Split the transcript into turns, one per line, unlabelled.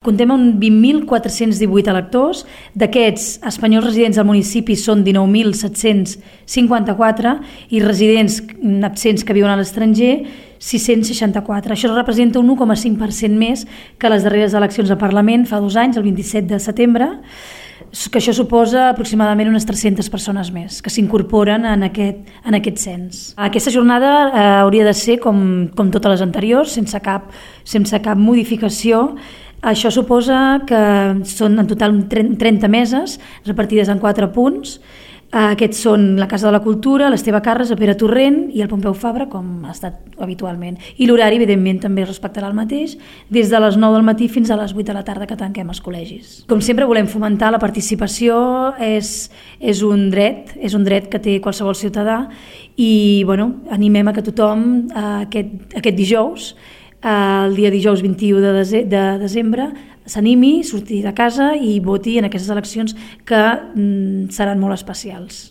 Comptem amb 20.418 electors, d'aquests espanyols residents al municipi són 19.754 i residents absents que viuen a l'estranger 664. Això representa un 1,5% més que les darreres eleccions al Parlament fa 2 anys, el 27 de setembre, que això suposa aproximadament unes 300 persones més que s'incorporen en aquest cens. Aquesta jornada hauria de ser com totes les anteriors, sense cap modificació. Això suposa que són en total 30 meses repartides en 4 punts. Aquests són la Casa de la Cultura, l'Esteve Carres, el Pere Torrent i el Pompeu Fabra, com ha estat habitualment. I l'horari, evidentment, també es respectarà el mateix, des de les 9 del matí fins a les 8 de la tarda que tanquem els col·legis. Com sempre, volem fomentar la participació, és un dret que té qualsevol ciutadà i animem a que tothom aquest dijous, el dia dijous 21 de desembre, s'animi, surti de casa i voti en aquestes eleccions que seran molt especials.